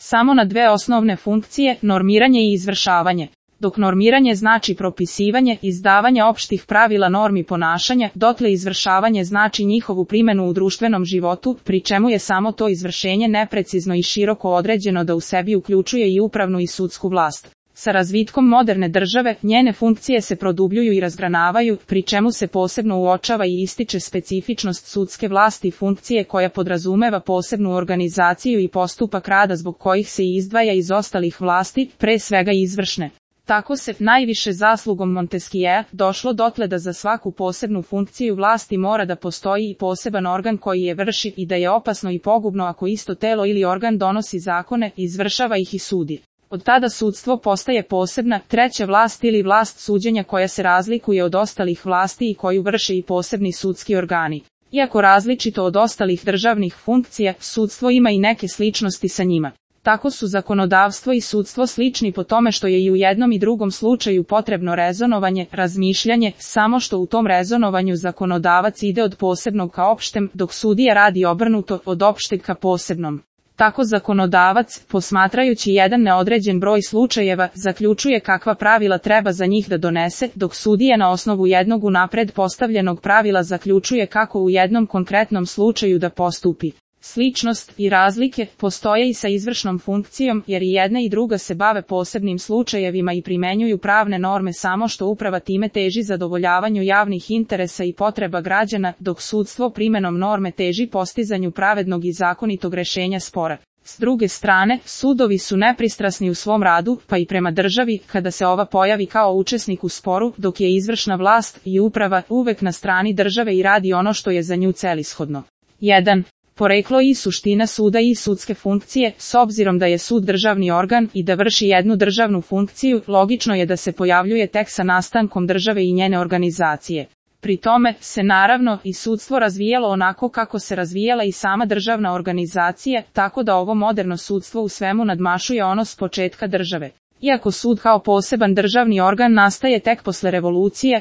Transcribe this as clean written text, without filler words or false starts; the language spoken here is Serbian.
samo na dve osnovne funkcije, normiranje i izvršavanje. Dok normiranje znači propisivanje, izdavanje opštih pravila normi ponašanja, dotle izvršavanje znači njihovu primenu u društvenom životu, pri čemu je samo to izvršenje neprecizno i široko određeno da u sebi uključuje i upravnu i sudsku vlast. Sa razvitkom moderne države, njene funkcije se produbljuju i razgranavaju, pri čemu se posebno uočava i ističe specifičnost sudske vlasti funkcije koja podrazumeva posebnu organizaciju i postupak rada zbog kojih se izdvaja iz ostalih vlasti, pre svega izvršne. Tako se, najviše zaslugom Montesquieu, došlo dotle da za svaku posebnu funkciju vlasti mora da postoji i poseban organ koji je vrši i da je opasno i pogubno ako isto telo ili organ donosi zakone, izvršava ih i sudi. Od tada sudstvo postaje posebna, treća vlast ili vlast suđenja koja se razlikuje od ostalih vlasti i koju vrše i posebni sudski organi. Iako različito od ostalih državnih funkcija, sudstvo ima i neke sličnosti sa njima. Tako su zakonodavstvo i sudstvo slični po tome što je i u jednom i drugom slučaju potrebno rezonovanje, razmišljanje, samo što u tom rezonovanju zakonodavac ide od posebnog ka opštem, dok sudija radi obrnuto, od opšteg ka posebnom. Tako zakonodavac, posmatrajući jedan neodređen broj slučajeva, zaključuje kakva pravila treba za njih da donese, dok sudija na osnovu jednog unapred postavljenog pravila zaključuje kako u jednom konkretnom slučaju da postupi. Sličnost i razlike postoje i sa izvršnom funkcijom, jer i jedna i druga se bave posebnim slučajevima i primenjuju pravne norme, samo što uprava time teži zadovoljavanju javnih interesa i potreba građana, dok sudstvo primenom norme teži postizanju pravednog i zakonitog rešenja spora. S druge strane, sudovi su nepristrasni u svom radu, pa i prema državi, kada se ova pojavi kao učesnik u sporu, dok je izvršna vlast i uprava uvek na strani države i radi ono što je za nju celishodno. 1. Poreklo i suština suda i sudske funkcije. S obzirom da je sud državni organ i da vrši jednu državnu funkciju, logično je da se pojavljuje tek sa nastankom države i njene organizacije. Pri tome se naravno i sudstvo razvijalo onako kako se razvijala i sama državna organizacija, tako da ovo moderno sudstvo u svemu nadmašuje ono s početka države. Iako sud kao poseban državni organ nastaje tek posle revolucije,